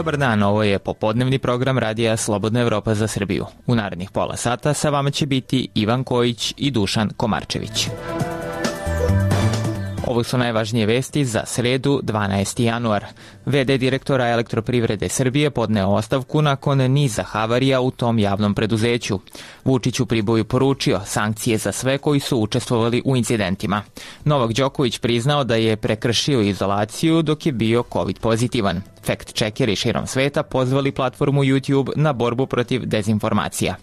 Dobar dan, ovo je popodnevni program radija Slobodna Evropa za Srbiju. U narednih pola sata sa vama će biti Ivan Kojić i Dušan Komarčević. Ovo su najvažnije vesti za sredu, 12. januar. VD direktora Elektroprivrede Srbije podneo ostavku nakon niza havarija u tom javnom preduzeću. Vučić u Priboju poručio sankcije za sve koji su učestvovali u incidentima. Novak Đoković priznao da je prekršio izolaciju dok je bio COVID pozitivan. Fact-checkeri širom sveta pozvali platformu YouTube na borbu protiv dezinformacija.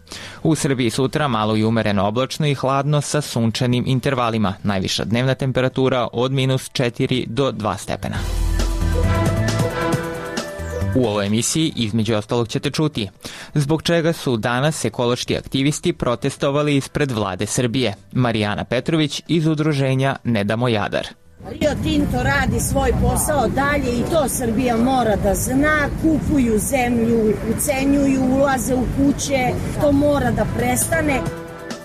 U Srbiji sutra malo i umereno oblačno i hladno sa sunčanim intervalima. Najviša dnevna temperatura od -4 do 2 stepena. U ovoj emisiji između ostalog ćete čuti zbog čega su danas ekološki aktivisti protestovali ispred vlade Srbije. Marijana Petrović iz udruženja Ne damo Jadar. Rio Tinto radi svoj posao dalje i to Srbija mora da zna. Kupuju zemlju, ucenjuju, ulaze u kuće. To mora da prestane.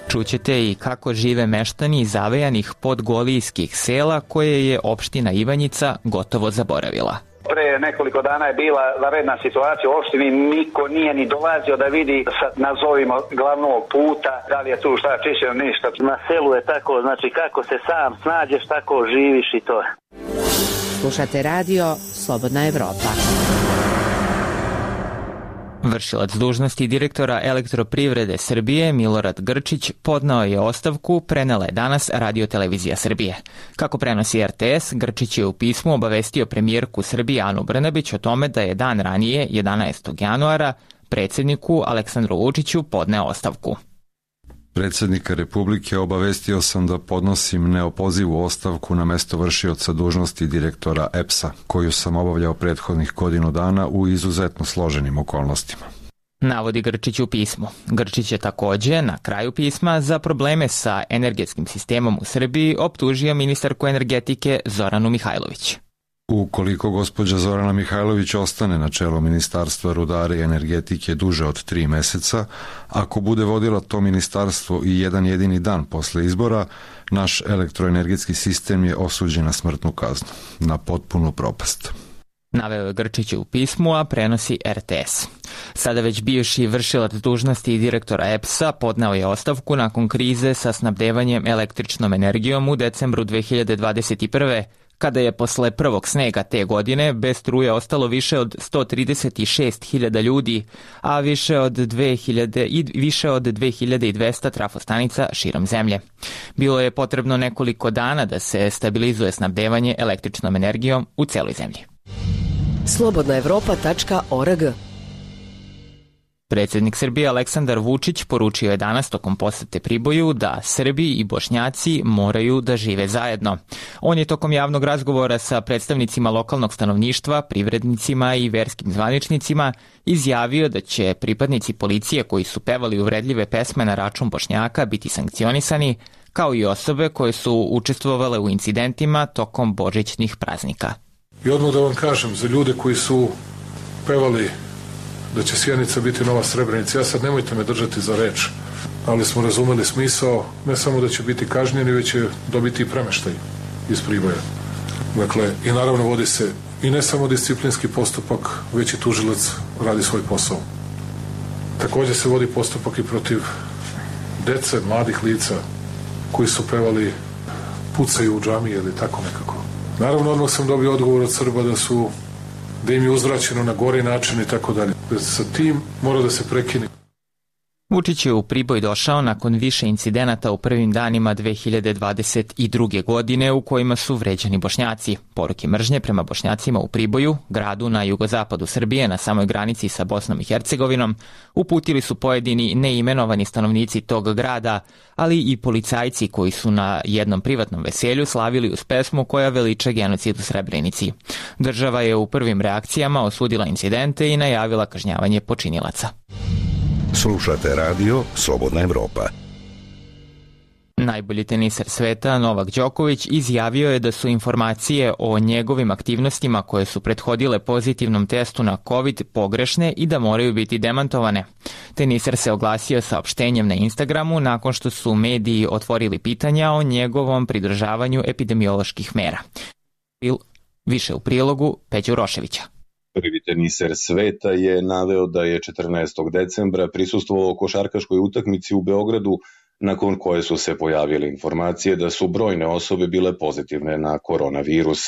Čućete i kako žive meštani zavejanih podgolijskih sela koje je opština Ivanjica gotovo zaboravila. Pre nekoliko dana je bila vanredna situacija u opštini, niko nije ni dolazio da vidi sa, nazovimo, glavnog puta, da li je tu šta čišćeno, ništa. Na selu je tako, znači kako se sam snađeš, tako živiš i to. Slušate radio Slobodna Evropa. Vršilac dužnosti direktora Elektroprivrede Srbije Milorad Grčić podneo je ostavku, prenela je danas Radio-televizija Srbije. Kako prenosi RTS, Grčić je u pismu obavestio premijerku Srbije Anu Brnabić o tome da je dan ranije, 11. januara, predsjedniku Aleksandru Vučiću podneo ostavku. Predsjednika Republike obavestio sam da podnosim neopozivu ostavku na mesto vršioca dužnosti direktora EPS-a, koju sam obavljao prethodnih godinu dana u izuzetno složenim okolnostima. Navodi Grčić u pismu. Grčić je takođe na kraju pisma za probleme sa energetskim sistemom u Srbiji optužio ministarku energetike Zoranu Mihajlović. Ukoliko gospođa Zorana Mihajlović ostane na čelu Ministarstva rudara i energetike duže od 3 meseca, ako bude vodila to ministarstvo i jedan jedini dan posle izbora, naš elektroenergetski sistem je osuđen na smrtnu kaznu, na potpunu propast. Naveo je Grčić u pismu, a prenosi RTS. Sada već bivši vršilac dužnosti direktora EPS-a podneo je ostavku nakon krize sa snabdevanjem električnom energijom u decembru 2021. kada je posle prvog snega te godine bez struje ostalo više od 136.000 ljudi, a više od 2200 trafostanica širom zemlje. Bilo je potrebno nekoliko dana da se stabilizuje snabdevanje električnom energijom u celoj zemlji. slobodnaevropa.org. Predsjednik Srbije Aleksandar Vučić poručio je danas tokom posete Priboju da Srbi i Bošnjaci moraju da žive zajedno. On je tokom javnog razgovora sa predstavnicima lokalnog stanovništva, privrednicima i verskim zvaničnicima izjavio da će pripadnici policije koji su pevali uvredljive pesme na račun Bošnjaka biti sankcionisani, kao i osobe koje su učestvovale u incidentima tokom božićnih praznika. I odmah da vam kažem, za ljude koji su pevali da će Sjenica biti nova Srebrenica. Ja sad nemojte me držati za reč, ali smo razumeli smisao, ne samo da će biti kažnjeni, već će dobiti i premeštaj iz Priboja. Dakle, i naravno vodi se i ne samo disciplinski postupak, već i tužilac radi svoj posao. Također se vodi postupak i protiv dece, mladih lica koji su pevali pucaju u džamije ili tako nekako. Naravno, odmah sam dobio odgovor od Srba da im je uzvraćeno na gori način i tako dalje. Sa tim mora da se prekine. Vučić je u Priboj došao nakon više incidenata u prvim danima 2022. godine u kojima su vređani Bošnjaci. Poruke mržnje prema Bošnjacima u Priboju, gradu na jugozapadu Srbije na samoj granici sa Bosnom i Hercegovinom, uputili su pojedini neimenovani stanovnici tog grada, ali i policajci koji su na jednom privatnom veselju slavili uz pesmu koja veliča genocid u Srebrenici. Država je u prvim reakcijama osudila incidente i najavila kažnjavanje počinilaca. Slušate radio Slobodna Evropa. Najbolji teniser sveta Novak Đoković izjavio je da su informacije o njegovim aktivnostima koje su prethodile pozitivnom testu na COVID pogrešne i da moraju biti demantovane. Teniser se oglasio saopštenjem na Instagramu nakon što su mediji otvorili pitanja o njegovom pridržavanju epidemioloških mera. Više u prilogu Peđu Roševića. Prvi teniser sveta je naveo da je 14. decembra prisustvovao košarkaškoj utakmici u Beogradu, nakon koje su se pojavile informacije da su brojne osobe bile pozitivne na koronavirus.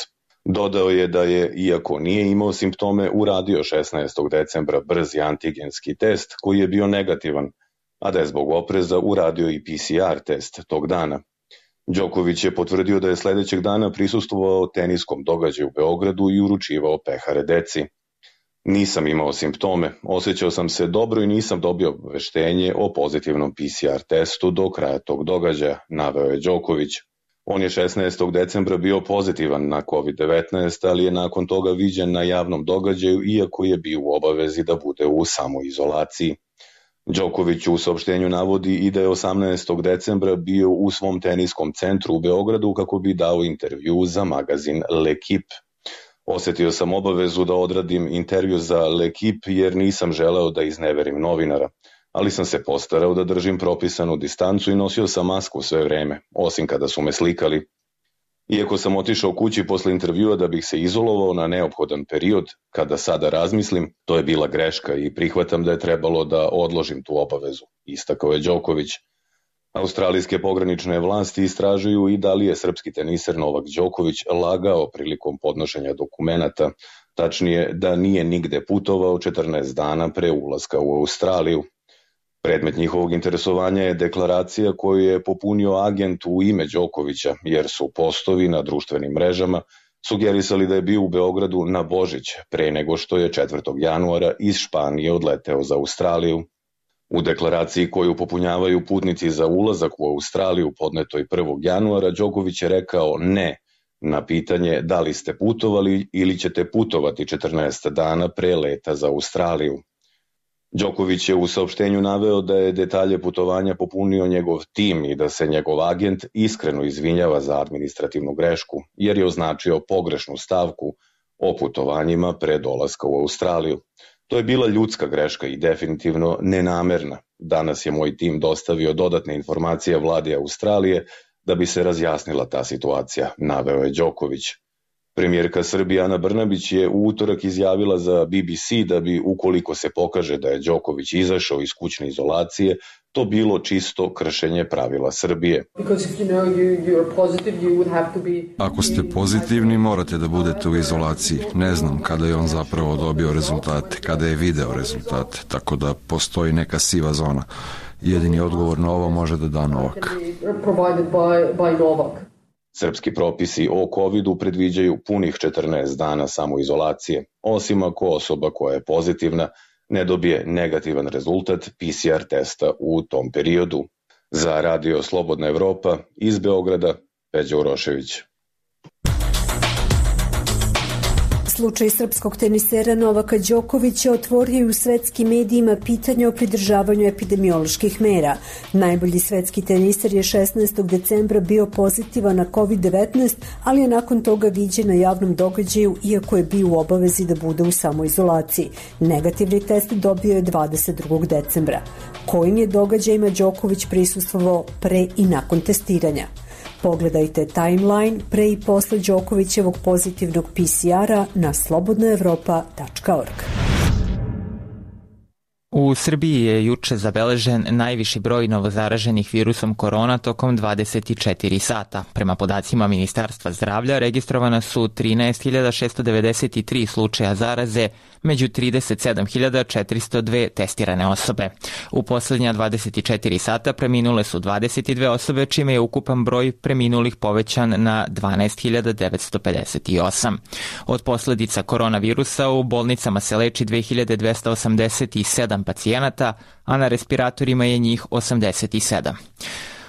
Dodao je da je, iako nije imao simptome, uradio 16. decembra brzi antigenski test koji je bio negativan, a da je zbog opreza uradio i PCR test tog dana. Đoković je potvrdio da je sledećeg dana prisustvovao teniskom događaju u Beogradu i uručivao pehare deci. Nisam imao simptome, osjećao sam se dobro i nisam dobio obaveštenje o pozitivnom PCR testu do kraja tog događaja, naveo je Đoković. On je 16. decembra bio pozitivan na COVID-19, ali je nakon toga viđen na javnom događaju, iako je bio u obavezi da bude u samoizolaciji. Đoković u saopštenju navodi i da je 18. decembra bio u svom teniskom centru u Beogradu kako bi dao intervju za magazin L'Equipe. Osetio sam obavezu da odradim intervju za L'Equipe jer nisam želeo da izneverim novinara, ali sam se postarao da držim propisanu distancu i nosio sam masku sve vreme, osim kada su me slikali. Iako sam otišao kući posle intervjua da bih se izolovao na neophodan period, kada sada razmislim, to je bila greška i prihvatam da je trebalo da odložim tu obavezu, istakao je Đoković. Australijske pogranične vlasti istražuju i da li je srpski teniser Novak Đoković lagao prilikom podnošenja dokumenata, tačnije da nije nigde putovao 14 dana pre ulaska u Australiju. Predmet njihovog interesovanja je deklaracija koju je popunio agent u ime Đokovića, jer su postovi na društvenim mrežama sugerisali da je bio u Beogradu na Božić, pre nego što je 4. januara iz Španije odleteo za Australiju. U deklaraciji koju popunjavaju putnici za ulazak u Australiju podnetoj 1. januara, Đoković je rekao ne na pitanje da li ste putovali ili ćete putovati 14 dana pre leta za Australiju. Đoković je u saopštenju naveo da je detalje putovanja popunio njegov tim i da se njegov agent iskreno izvinjava za administrativnu grešku, jer je označio pogrešnu stavku o putovanjima pre dolaska u Australiju. To je bila ljudska greška i definitivno nenamerna. Danas je moj tim dostavio dodatne informacije vladi Australije da bi se razjasnila ta situacija, naveo je Đoković. Premijerka Srbije Ana Brnabić je u utorak izjavila za BBC da bi, ukoliko se pokaže da je Đoković izašao iz kućne izolacije, to bilo čisto kršenje pravila Srbije. Ako ste pozitivni, morate da budete u izolaciji. Ne znam kada je on zapravo dobio rezultate, kada je video rezultate, tako da postoji neka siva zona. Jedini odgovor na ovo može da da Novak. Srpski propisi o COVID-u predviđaju punih 14 dana samoizolacije, osim ako osoba koja je pozitivna ne dobije negativan rezultat PCR testa u tom periodu. Za Radio Slobodna Evropa iz Beograda, Peđa Urošević. Slučaj srpskog tenisera Novaka Đokovića otvorio u svetskim medijima pitanje o pridržavanju epidemioloških mera. Najbolji svetski teniser je 16. decembra bio pozitivan na COVID-19, ali je nakon toga viđen na javnom događaju, iako je bio u obavezi da bude u samoizolaciji. Negativni test dobio je 22. decembra. Kojim je događajima Đoković prisustvovao pre i nakon testiranja? Pogledajte timeline pre i posle Đokovićevog pozitivnog PCR-a na slobodnaevropa.org. U Srbiji je juče zabeležen najviši broj novozaraženih virusom korona tokom 24 sata. Prema podacima Ministarstva zdravlja registrovana su 13.693 slučaja zaraze, među 37.402 testirane osobe. U poslednja 24 sata preminule su 22 osobe, čime je ukupan broj preminulih povećan na 12.958. Od posledica koronavirusa u bolnicama se leči 2287 pacijenata, a na respiratorima je njih 87.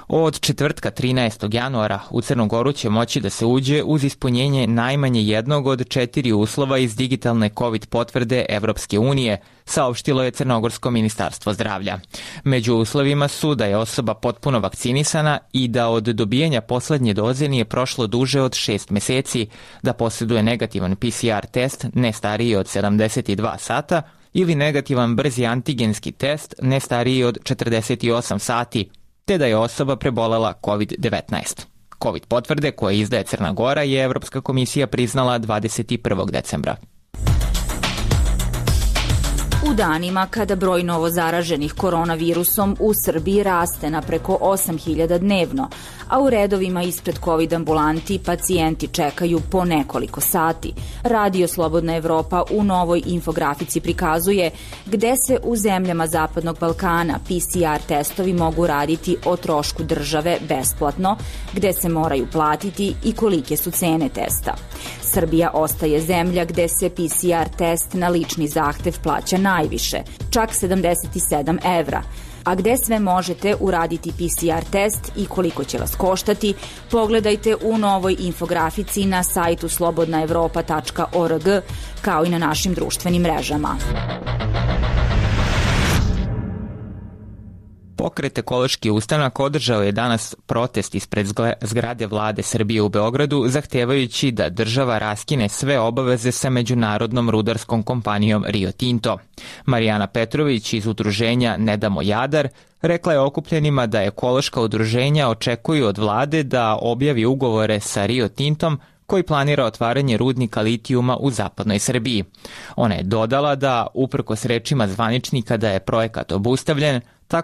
Od četvrtka 13. januara u Crnu Goru će moći da se uđe uz ispunjenje najmanje jednog od 4 uslova iz digitalne COVID potvrde Evropske unije, saopštilo je Crnogorsko ministarstvo zdravlja. Među uslovima su da je osoba potpuno vakcinisana i da od dobijanja poslednje doze nije prošlo duže od 6 meseci, da posjeduje negativan PCR test ne stariji od 72 sata ili negativan brzi antigenski test ne stariji od 48 sati, te da je osoba prebolela COVID-19. COVID potvrde koje izdaje Crna Gora je Evropska komisija priznala 21. decembra. U danima kada broj novozaraženih koronavirusom u Srbiji raste na preko 8.000 dnevno, a u redovima ispred COVID ambulanti pacijenti čekaju po nekoliko sati, Radio Slobodna Evropa u novoj infografici prikazuje gde se u zemljama Zapadnog Balkana PCR testovi mogu raditi o trošku države besplatno, gde se moraju platiti i kolike su cene testa. Srbija ostaje zemlja gde se PCR test na lični zahtev plaća najviše, čak 77 evra. A gde sve možete uraditi PCR test i koliko će vas koštati, pogledajte u novoj infografici na sajtu slobodnaevropa.org, kao i na našim društvenim mrežama. Pokret Ekološki ustanak održao je danas protest ispred zgrade vlade Srbije u Beogradu, zahtevajući da država raskine sve obaveze sa međunarodnom rudarskom kompanijom Rio Tinto. Marijana Petrović iz udruženja Ne damo Jadar rekla je okupljenima da ekološka udruženja očekuju od vlade da objavi ugovore sa Rio Tintom koji planira otvaranje rudnika litijuma u zapadnoj Srbiji. Ona je dodala da, uprkos rečima zvaničnika da je projekat obustavljen, ta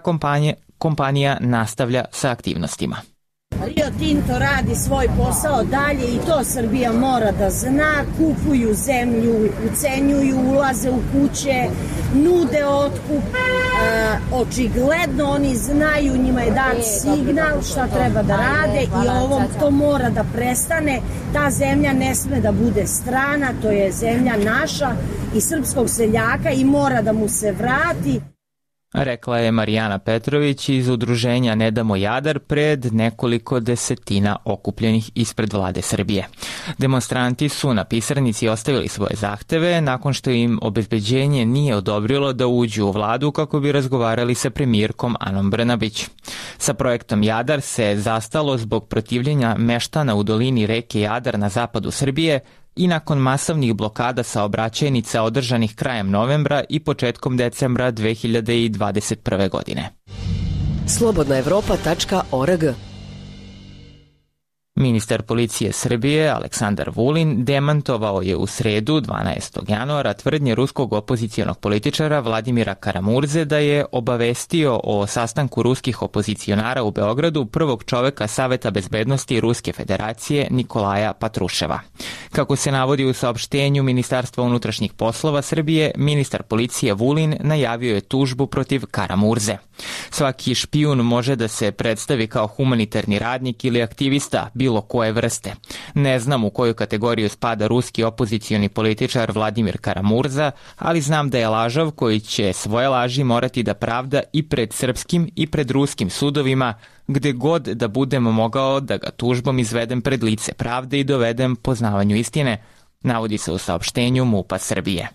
kompanija nastavlja sa aktivnostima. Rio Tinto radi svoj posao dalje i to Srbija mora da zna. Kupuju zemlju, ucenjuju, ulaze u kuće, nude otkup. Očigledno oni znaju, njima je dat signal šta treba da rade i ovom to mora da prestane. Ta zemlja ne sme da bude strana, to je zemlja naša i srpskog seljaka i mora da mu se vrati. Rekla je Marijana Petrović iz udruženja Ne damo Jadar pred nekoliko desetina okupljenih ispred vlade Srbije. Demonstranti su na pisarnici ostavili svoje zahteve nakon što im obezbeđenje nije odobrilo da uđu u vladu kako bi razgovarali sa premijerkom Anom Brnabić. Sa projektom Jadar se zastalo zbog protivljenja meštana u dolini reke Jadar na zapadu Srbije i nakon masovnih blokada saobraćajnica održanih krajem novembra i početkom decembra 2021. godine. slobodnaevropa.org. Ministar policije Srbije Aleksandar Vulin demantovao je u sredu 12. januara tvrdnje ruskog opozicijonog političara Vladimira Karamurze da je obavestio o sastanku ruskih opozicionara u Beogradu prvog čoveka Saveta bezbednosti Ruske federacije Nikolaja Patruševa. Kako se navodi u saopštenju Ministarstva unutrašnjih poslova Srbije, ministar policije Vulin najavio je tužbu protiv Karamurze. Svaki špijun može da se predstavi kao humanitarni radnik ili aktivista bilo koje vrste. Ne znam u koju kategoriju spada ruski opozicioni političar Vladimir Karamurza, ali znam da je lažov koji će svoje laži morati da pravda i pred srpskim i pred ruskim sudovima, gde god da budem mogao da ga tužbom izvedem pred lice pravde i dovedem poznavanju istine, navodi se u saopštenju MUP-a Srbije.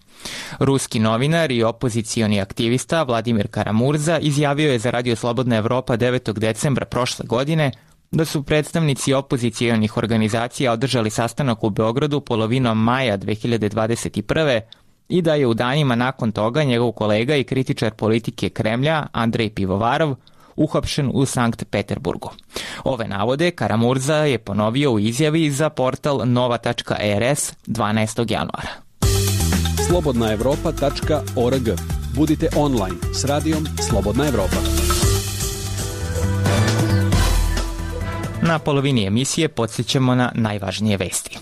Ruski novinar i opozicioni aktivista Vladimir Karamurza izjavio je za Radio Slobodna Evropa 9. decembra prošle godine da su predstavnici opozicijonih organizacija održali sastanak u Beogradu polovinom maja 2021. i da je u danima nakon toga njegov kolega i kritičar politike Kremlja Andrej Pivovarov uhapšen u Sankt Peterburgu. Ove navode Karamurza je ponovio u izjavi za portal nova.rs 12. januara. slobodnaevropa.org. Budite online s radijom Slobodna Evropa. Na polovini emisije podsjećamo na najvažnije vesti.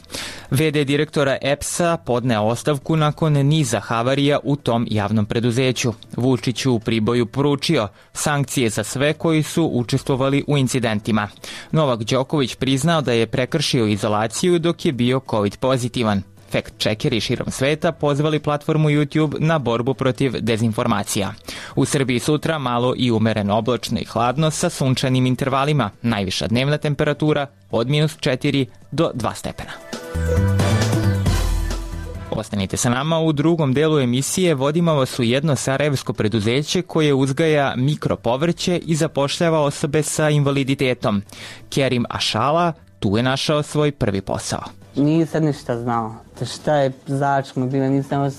VD direktora EPS-a podneo ostavku nakon niza havarija u tom javnom preduzeću. Vučiću u Priboju poručio sankcije za sve koji su učestvovali u incidentima. Novak Đoković priznao da je prekršio izolaciju dok je bio COVID pozitivan. Fact-checkeri širom sveta pozvali platformu YouTube na borbu protiv dezinformacija. U Srbiji sutra malo i umereno oblačno i hladno sa sunčanim intervalima. Najviša dnevna temperatura od -4 do 2 stepena. Ostanite sa nama, u drugom delu emisije vodimo vas u jedno sarajevsko preduzeće koje uzgaja mikropovrće i zapošljava osobe sa invaliditetom. Kerim Ašala tu je našao svoj prvi posao. Nisam ništa znao. Šta je začmo bilo, nisam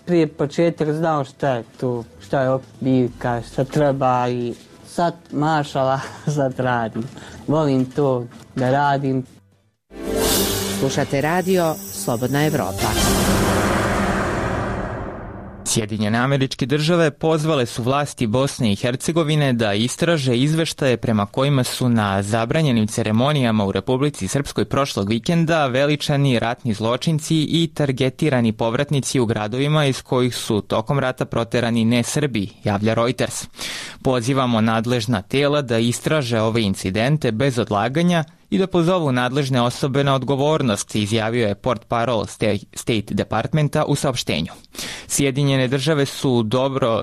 prije početak znao šta je tu, šta je biljka, šta treba i sad mašala, sad radim. Volim to da radim. Slušate radio Slobodna Evropa. Sjedinjene Američke Države pozvale su vlasti Bosne i Hercegovine da istraže izveštaje prema kojima su na zabranjenim ceremonijama u Republici Srpskoj prošlog vikenda veličani ratni zločinci i targetirani povratnici u gradovima iz kojih su tokom rata proterani ne Srbi, javlja Reuters. Pozivamo nadležna tela da istraže ove incidente bez odlaganja i da pozovu nadležne osobe na odgovornost, izjavio je portparol State Departmenta u saopštenju. Sjedinjene države su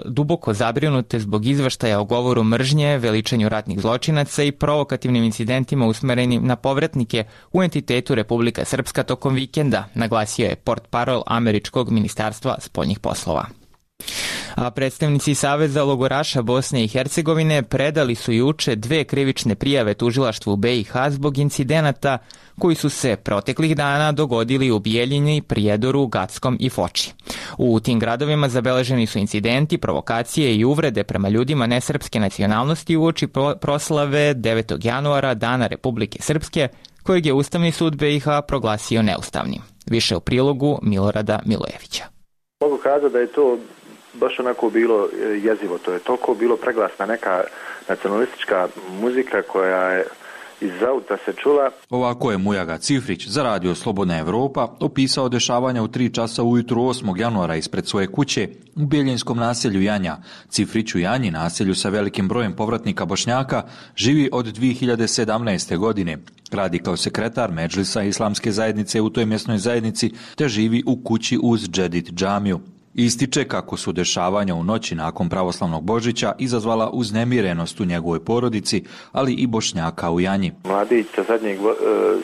duboko zabrinute zbog izveštaja o govoru mržnje, veličanju ratnih zločinaca i provokativnim incidentima usmerenim na povratnike u entitetu Republika Srpska tokom vikenda, naglasio je portparol Američkog ministarstva spoljnih poslova. A predstavnici Saveza logoraša Bosne i Hercegovine predali su juče 2 krivične prijave tužilaštvu BiH zbog incidenata koji su se proteklih dana dogodili u Bijeljini, Prijedoru, Gackom i Foči. U tim gradovima zabeleženi su incidenti, provokacije i uvrede prema ljudima nesrpske nacionalnosti uoči proslave 9. januara Dana Republike Srpske, kojeg je Ustavni sud BiH proglasio neustavnim. Više u prilogu Milorada Milojevića. Mogu kazati da je to baš onako bilo jezivo, to je toliko bilo preglasna neka nacionalistička muzika koja je iz auta se čula. Ovako je Mujaga Cifrić za radio Slobodna Evropa opisao dešavanja u 3 časa ujutru 8. januara ispred svoje kuće u Bijeljinskom naselju Janja. Cifrić u Janji, naselju sa velikim brojem povratnika Bošnjaka, živi od 2017. godine. Radi kao sekretar Medžlisa islamske zajednice u toj mjesnoj zajednici te živi u kući uz Džedid džamiju. Ističe kako su dešavanja u noći nakon pravoslavnog Božića izazvala uznemirenost u njegovoj porodici, ali i Bošnjaka u Janji. Mladić sa zadnjeg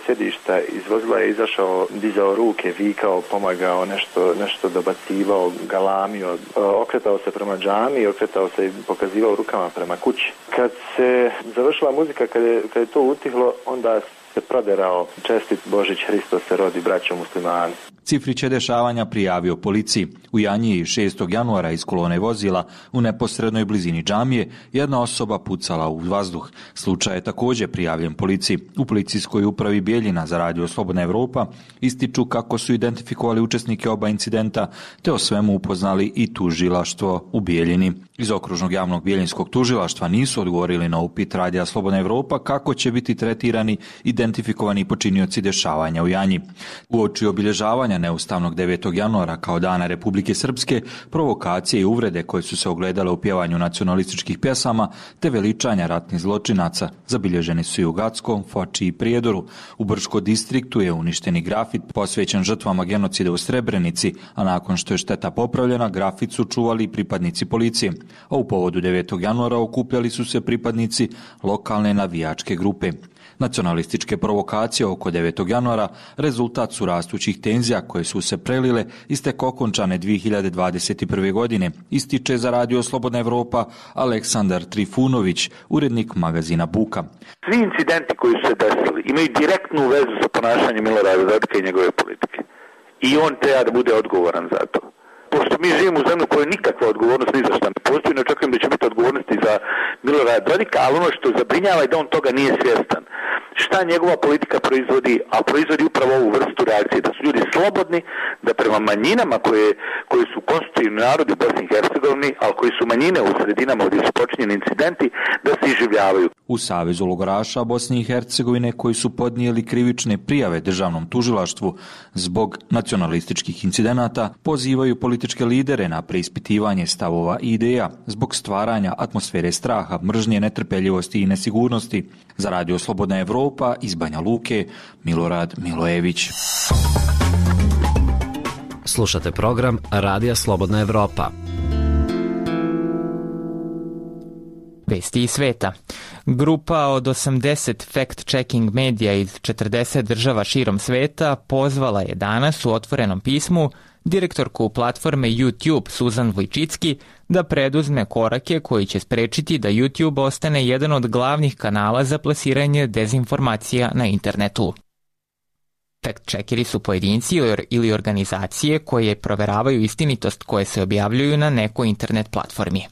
sjedišta iz vozila je izašao, dizao ruke, vikao, pomagao, nešto dobacivao, galamio, okretao se prema džami, okretao se i pokazivao rukama prema kući. Kad se završila muzika, kad je to utihlo, onda se proderao čestit Božić, Hristos se rodi, braćo muslimani. Cifrić je dešavanja prijavio policiji. U Janji 6. januara iz kolone vozila u neposrednoj blizini džamije jedna osoba pucala u vazduh. Slučaj je također prijavljen policiji. U policijskoj upravi Bijeljina za radio Slobodna Evropa ističu kako su identifikovali učesnike oba incidenta te o svemu upoznali i tužilaštvo u Bijeljini. Iz okružnog javnog bijeljinskog tužilaštva nisu odgovorili na upit radija Slobodna Evropa kako će biti tretirani identifikovani počinioci dešavanja u Janji. Uoči obilježavanja neustavnog 9. januara kao Dana Republike Srpske, provokacije i uvrede koje su se ogledale u pjevanju nacionalističkih pjesama te veličanja ratnih zločinaca zabilježeni su i u Gackom, Foči i Prijedoru. U Brčko distriktu je uništeni grafit posvećen žrtvama genocida u Srebrenici, a nakon što je šteta popravljena, grafit su čuvali pripadnici policije. A u povodu 9. januara okupljali su se pripadnici lokalne navijačke grupe. Nacionalističke provokacije oko 9. januara rezultat su rastućih tenzija koje su se prelile iz tek okončane 2021. godine, ističe za radio Slobodna Evropa Aleksandar Trifunović, urednik magazina Buka. Svi incidenti koji su se desili imaju direktnu vezu sa ponašanjem Milorada Dodika i njegove politike. I on treba da bude odgovoran za to. Pošto mi živimo u zemlju koja nikakva odgovornost ni za šta ne postoji, ne očekujem da će biti odgovornosti za Milorada Dodika, ali ono što zabrinjava je da on toga nije svjestan. Šta njegova politika proizvodi, a proizvodi upravo ovu vrstu reakcije, da su ljudi slobodni, da prema manjinama koji su konstitutivni narodi u Bosni i Hercegovini, ali koji su manjine u sredinama gdje su počinjeni incidenti, da se iživljavaju. U Savezu logoraša Bosne i Hercegovine koji su podnijeli krivične prijave državnom tužilaštvu zbog nacionalističkih incidenata pozivaju političke lidere na preispitivanje stavova i ideja zbog stvaranja atmosfere straha, mržnje, netrpeljivosti i nesigurnosti. Za radio Slobodna Evropa iz Banja Luke, Milorad Milojević. Slušate program Radija Slobodna Evropa. Vesti iz sveta. Grupa od 80 fact-checking medija iz 40 država širom sveta pozvala je danas u otvorenom pismu direktorku platforme YouTube Suzan Vojčicki da preduzme korake koji će sprečiti da YouTube ostane jedan od glavnih kanala za plasiranje dezinformacija na internetu. Fact-checkeri su pojedinci ili organizacije koje proveravaju istinitost koje se objavljuju na nekoj internet platformi.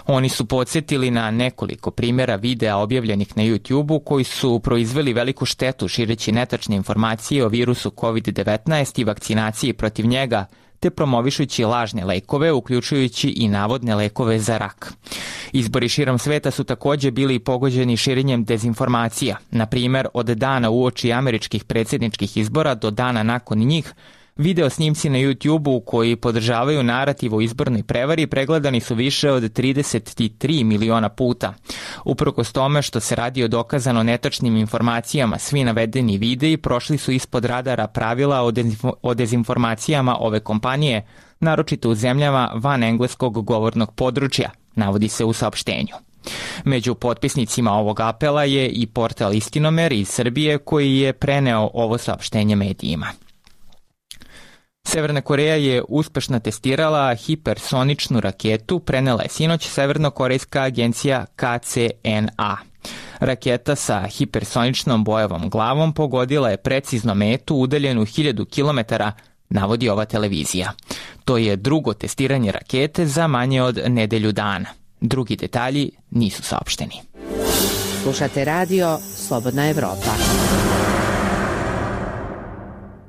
Oni su podsjetili na nekoliko primjera videa objavljenih na YouTube-u koji su proizveli veliku štetu šireći netačne informacije o virusu COVID-19 i vakcinaciji protiv njega, te promovišući lažne lekove, uključujući i navodne lekove za rak. Izbori širom sveta su takođe bili pogođeni širenjem dezinformacija. Na primer, od dana uoči američkih predsjedničkih izbora do dana nakon njih, video snimci na YouTube-u koji podržavaju narativ o izbornoj prevari pregledani su više od 33 miliona puta. Uprkos tome što se radi o dokazano netačnim informacijama, svi navedeni videi prošli su ispod radara pravila o dezinformacijama ove kompanije, naročito u zemljama van engleskog govornog područja, navodi se u saopštenju. Među potpisnicima ovog apela je i portal Istinomer iz Srbije koji je preneo ovo saopštenje medijima. Severna Koreja je uspešno testirala hipersoničnu raketu, prenela je sinoć severnokorejska agencija KCNA. Raketa sa hipersoničnom bojevom glavom pogodila je precizno metu udaljenu 1000 km, navodi ova televizija. To je drugo testiranje rakete za manje od nedelju dana. Drugi detalji nisu saopšteni. Slušate radio Slobodna Evropa.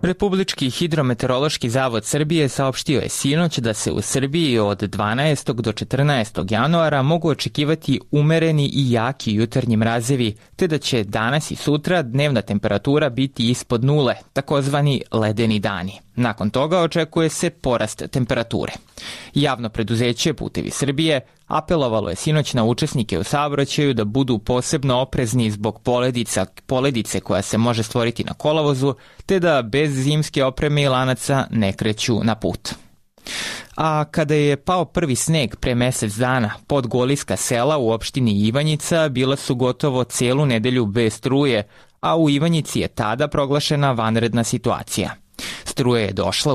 Republički hidrometeorološki zavod Srbije saopštio je sinoć da se u Srbiji od 12. do 14. januara mogu očekivati umereni i jaki jutarnji mrazevi, te da će danas i sutra dnevna temperatura biti ispod nule, takozvani ledeni dani. Nakon toga očekuje se porast temperature. Javno preduzeće Putevi Srbije apelovalo je sinoć na učesnike u saobraćaju da budu posebno oprezni zbog poledice koja se može stvoriti na kolovozu, te da bez zimske opreme i lanaca ne kreću na put. A kada je pao prvi sneg pre mesec dana, podgoliska sela u opštini Ivanjica bila su gotovo celu nedelju bez struje, a u Ivanjici je tada proglašena vanredna situacija. Struja je došla,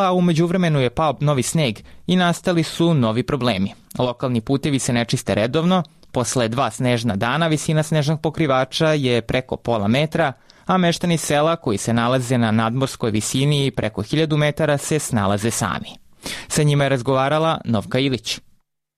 a u međuvremenu je pao novi sneg i nastali su novi problemi. Lokalni putevi se ne čiste redovno, posle 2 snežna dana visina snežnog pokrivača je preko pola metra, a meštani sela koji se nalaze na nadmorskoj visini preko 1000 metara se snalaze sami. Sa njima je razgovarala Novka Ilić.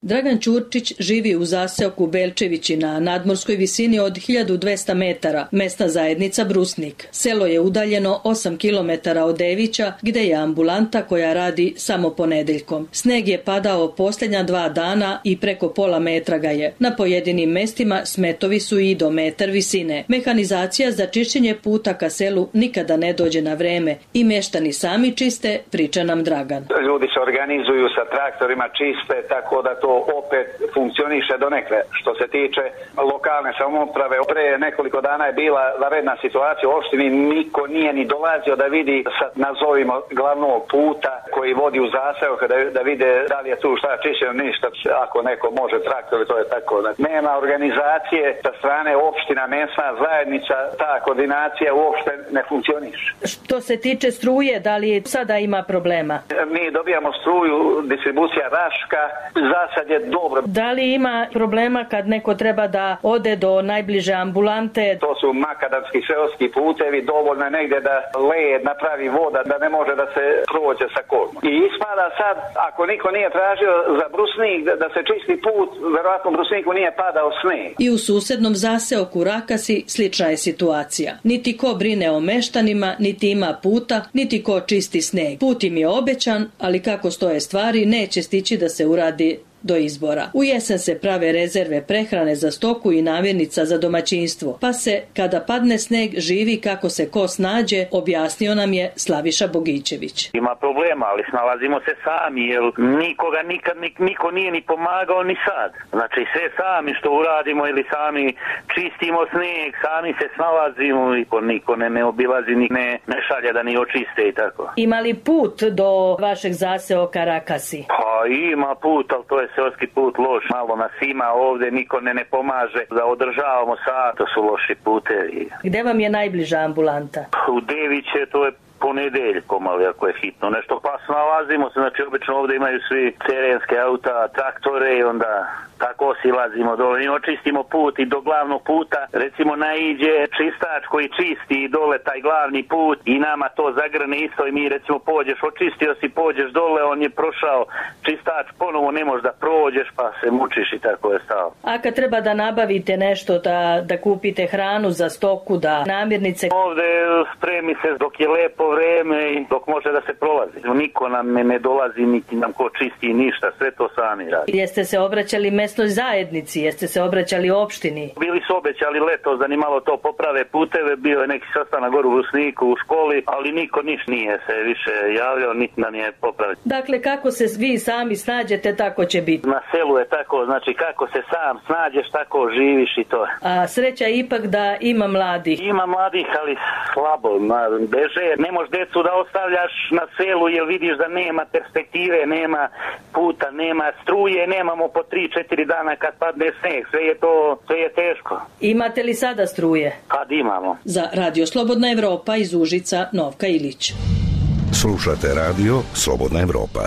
Dragan Ćurčić živi u zaseoku Belčevići na nadmorskoj visini od 1200 metara, mesna zajednica Brusnik. Selo je udaljeno 8 km od Devića, gde je ambulanta koja radi samo ponedeljkom. Sneg je padao posljednja 2 dana i preko pola metra ga je. Na pojedinim mestima smetovi su i do metar visine. Mehanizacija za čišćenje puta ka selu nikada ne dođe na vreme i meštani sami čiste, priča nam Dragan. Ljudi se organizuju sa traktorima, čiste, tako da to opet funkcioniše donekle. Što se tiče lokalne samouprave, pre nekoliko dana je bila vanredna situacija u opštini, niko nije ni dolazio da vidi sa, nazovimo, glavnog puta koji vodi u zaseok, da vide da li je tu šta čišćeno, ništa. Ako neko može traktor, to je tako. Nema organizacije sa strane opština, mesna zajednica, ta koordinacija uopšte ne funkcioniše. Što se tiče struje, da li sada ima problema? Mi dobijamo struju, distribucija Raška, za sad je dobro. Da li ima problema kad neko treba da ode do najbliže ambulante? To su makadamski seoski putevi, dovoljno je negdje da led napravi voda, da ne može da se prođe sa kolom. I ispada sad, ako niko nije tražio za Brusnik da se čisti put, verovatno u Brusniku nije padao sneg. I u susednom zaseoku Rakasi slična je situacija. Niti ko brine o meštanima, niti ima puta, niti ko čisti sneg. Put im je obećan, ali kako stoje stvari, neće stići da se uradi do izbora. U jesen se prave rezerve prehrane za stoku i namirnica za domaćinstvo, pa se, kada padne sneg, živi kako se ko snađe, objasnio nam je Slaviša Bogićević. Ima problema, ali snalazimo se sami, jer nikoga nikad niko nije ni pomagao ni sad. Znači sve sami što uradimo ili sami čistimo sneg, sami se snalazimo i niko ne obilazi, ne šalje da ni očiste i tako. Ima li put do vašeg zaseoka Rakasi? Pa ima put, ali to je seoski put loš, malo nas ima ovdje, niko ne pomaže da održavamo sad, to su loši putevi. Gde vam je najbliža ambulanta? U Deviće, to je ponedeljkom, ali ako je hitno nešto, pa snalazimo se, znači obično ovdje imaju svi terenske auta, traktore i onda tako silazimo dole i očistimo put i do glavnog puta, recimo naiđe čistač koji čisti dole taj glavni put i nama to zagrne isto i mi recimo pođeš, očistio si, pođeš dole, on je prošao čistač, ponovo ne možeš da prođeš pa se mučiš i tako je stao. A kad treba da nabavite nešto, da kupite hranu za stoku, da namirnice? Ovde spremi se dok je lepo vreme i dok može da se prolazi. Niko nam ne dolazi, niti nam ko čisti ništa, sve to sami radi. Jeste se obraćali mesnoj zajednici, jeste se obraćali opštini? Bili su obećali letos da ni malo to poprave puteve, bio je neki sastanak gore u Rusniku u školi, ali niko nije se više javljao, niti nam je popraviti. Dakle, kako se vi sami snađete, tako će biti? Na selu je tako, znači kako se sam snađeš, tako živiš i to. A sreća je ipak da ima mladih? Ima mladih, ali slabo, beže. Ne možeš decu da ostavljaš na selu jer vidiš da nema perspektive, nema puta, nema struje, nemamo po 3-4 dana kad padne sneg, sve je teško. Imate li sada struje? Kad imamo. Za Radio Slobodna Evropa iz Užica, Novka Ilić. Slušate Radio Slobodna Evropa.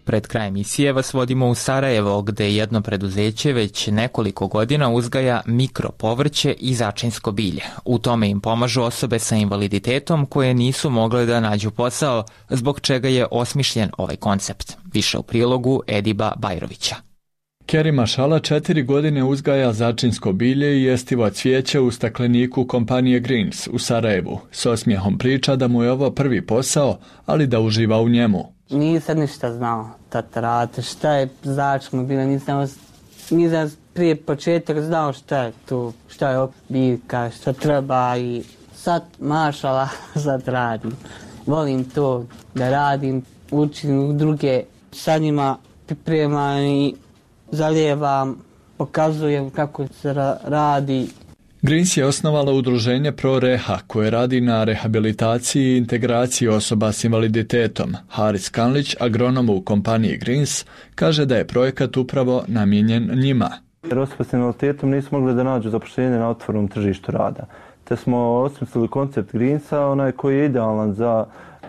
Pred kraj emisije vas vodimo u Sarajevo, gde jedno preduzeće već nekoliko godina uzgaja mikropovrće i začinsko bilje. U tome im pomažu osobe sa invaliditetom koje nisu mogle da nađu posao, zbog čega je osmišljen ovaj koncept. Više u prilogu Ediba Bajrovića. Kerim Ašala 4 godine uzgaja začinsko bilje i jestivo cvijeće u stakleniku kompanije Greens u Sarajevu. S osmijehom priča da mu je ovo prvi posao, ali da uživa u njemu. Nisam ništa znao tatarate, šta je začinsko bilje, nisam prije početak znao šta je tu, šta je biljka, šta treba i sad mašala sad radim. Volim to da radim, učim druge, sa njima pripremam i zalijevam, pokazujem kako se radi. Greens je osnovala udruženje ProReha koje radi na rehabilitaciji i integraciji osoba s invaliditetom. Haris Kanlić, agronom u kompaniji Greens, kaže da je projekat upravo namijenjen njima. Jer osobe s invaliditetom nisu mogli da nađu zapošljenje na otvorenom tržištu rada. Te smo osmislili koncept Greensa, koji je idealan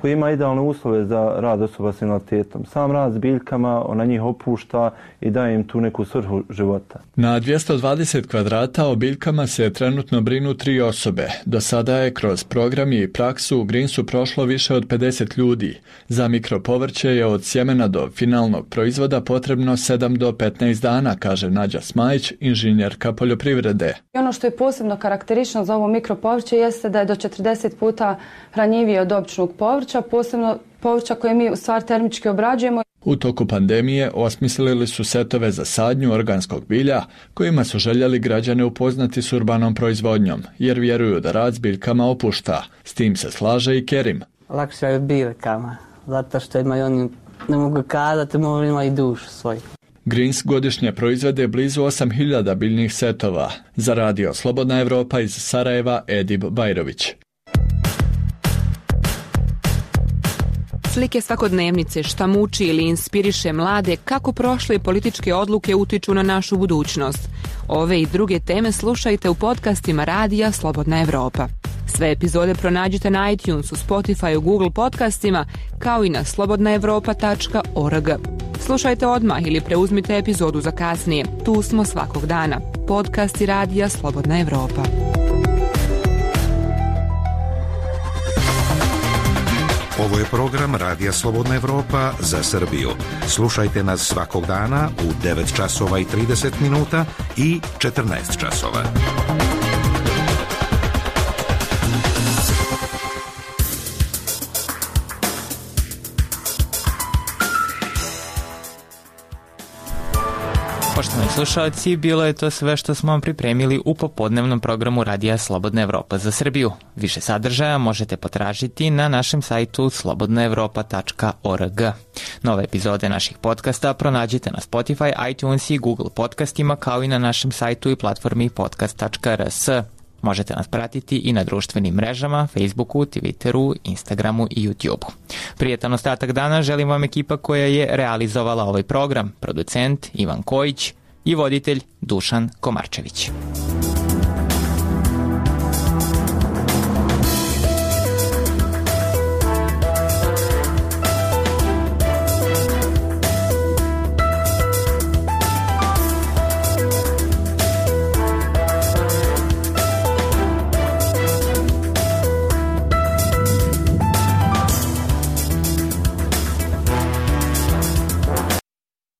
koji ima idealne uslove za rad osoba s invaliditetom. Sam rad s biljkama, ona njih opušta i daje im tu neku svrhu života. Na 220 kvadrata o biljkama se trenutno brinu 3 osobe. Do sada je kroz program i praksu u Greensu prošlo više od 50 ljudi. Za mikropovrće je od sjemena do finalnog proizvoda potrebno 7 do 15 dana, kaže Nađa Smajić, inženjerka poljoprivrede. Ono što je posebno karakteristično za ovo mikropovrće jeste da je do 40 puta hranjivije od običnog povrća, posebno povrća koje mi u stvari termički obrađujemo. U toku pandemije osmislili su setove za sadnju organskog bilja kojima su željeli građane upoznati s urbanom proizvodnjom, jer vjeruju da rad s biljkama opušta. S tim se slaže i Kerim. Lakše je biljkama, zato što imaju oni, ne mogu kazati, ima i dušu svoju. Greens godišnje proizvede blizu 8000 biljnih setova. Za Radio Slobodna Evropa iz Sarajeva, Edib Bajrović. Slike svakodnevnice, šta muči ili inspiriše mlade, kako prošle političke odluke utiču na našu budućnost. Ove i druge teme slušajte u podcastima Radija Slobodna Evropa. Sve epizode pronađite na iTunesu, Spotifyu, Google podcastima, kao i na slobodnaevropa.org. Slušajte odmah ili preuzmite epizodu za kasnije. Tu smo svakog dana. Podcasti Radija Slobodna Evropa. Ovo je program Radija Slobodna Evropa za Srbiju. Slušajte nas svakog dana u 9 časova i 30 minuta i 14 časova. Poštovani slušalci, bilo je to sve što smo vam pripremili u popodnevnom programu Radija Slobodna Evropa za Srbiju. Više sadržaja možete potražiti na našem sajtu slobodnaevropa.org. Nove epizode naših podcasta pronađite na Spotify, iTunes i Google podcastima, kao i na našem sajtu i platformi podcast.rs. Možete nas pratiti i na društvenim mrežama, Facebooku, Twitteru, Instagramu i YouTubeu. Prijetan ostatak dana želim vam ekipa koja je realizovala ovaj program, producent Ivan Kojić i voditelj Dušan Komarčević.